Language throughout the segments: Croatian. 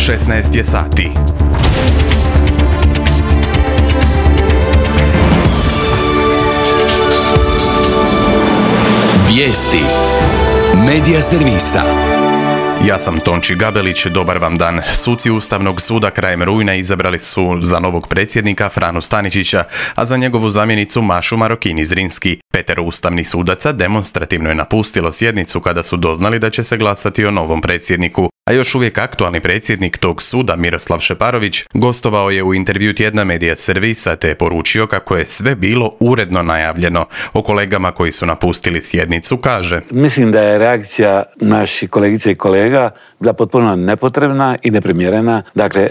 16 je sati. Vijesti Medija servisa. Ja sam Tonči Gabelić, dobar vam dan. Suci Ustavnog suda krajem rujna izabrali su za novog predsjednika Franu Staničića, a za njegovu zamjenicu Mašu Marokini-Zrinski. 5 ustavnih sudaca demonstrativno je napustilo sjednicu kada su doznali da će se glasati o novom predsjedniku. A još uvijek aktualni predsjednik tog suda, Miroslav Šeparović, gostovao je u intervju tjedna Medija servisa te je poručio kako je sve bilo uredno najavljeno. O kolegama koji su napustili sjednicu kaže: Mislim da je reakcija naših kolegica i kolega bila potpuno nepotrebna i neprimjerena. Dakle,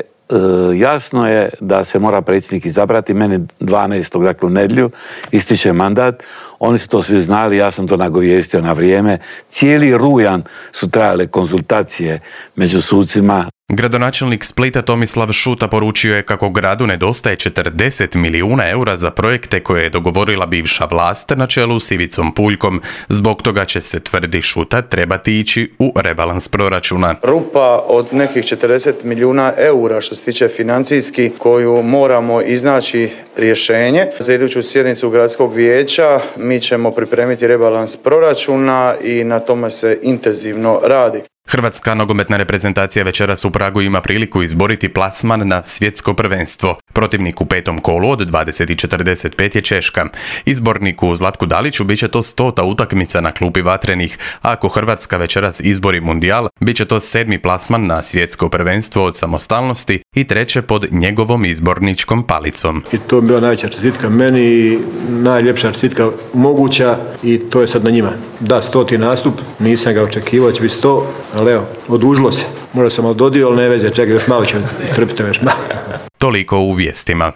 jasno je da se mora predsjednik izabrati. Meni 12. dakle u nedjelju ističe mandat. Oni su to svi znali, ja sam to nagovijestio na vrijeme. Cijeli rujan su trajale konzultacije među sucima. Gradonačelnik Splita Tomislav Šuta poručio je kako gradu nedostaje 40 milijuna eura za projekte koje je dogovorila bivša vlast na čelu s Ivicom Puljkom. Zbog toga će se, tvrdi Šuta, trebati ići u rebalans proračuna. Rupa od nekih 40 milijuna eura što se tiče financijski koju moramo iznaći rješenje. Za iduću sjednicu gradskog vijeća mi ćemo pripremiti rebalans proračuna i na tome se intenzivno radi. Hrvatska nogometna reprezentacija večeras u Pragu ima priliku izboriti plasman na svjetsko prvenstvo. Protivnik u 5. kolu od 20:45 je Češka. Izborniku Zlatku Daliću bit će to 100. utakmica na klupi Vatrenih, a ako Hrvatska večeras izbori mundijal, bit će to 7. plasman na svjetsko prvenstvo od samostalnosti i 3. pod njegovom izborničkom palicom. I to bi bila najveća čestitka meni i najljepša čestitka moguća i to je sad na njima. Da, 100. nastup, nisam ga očekivao, će biti 100, ali evo, odužilo se. Možda sam ododio, ali ne veze, čekaj, još malo ću istrpiti još malo. Toliko u vijestima.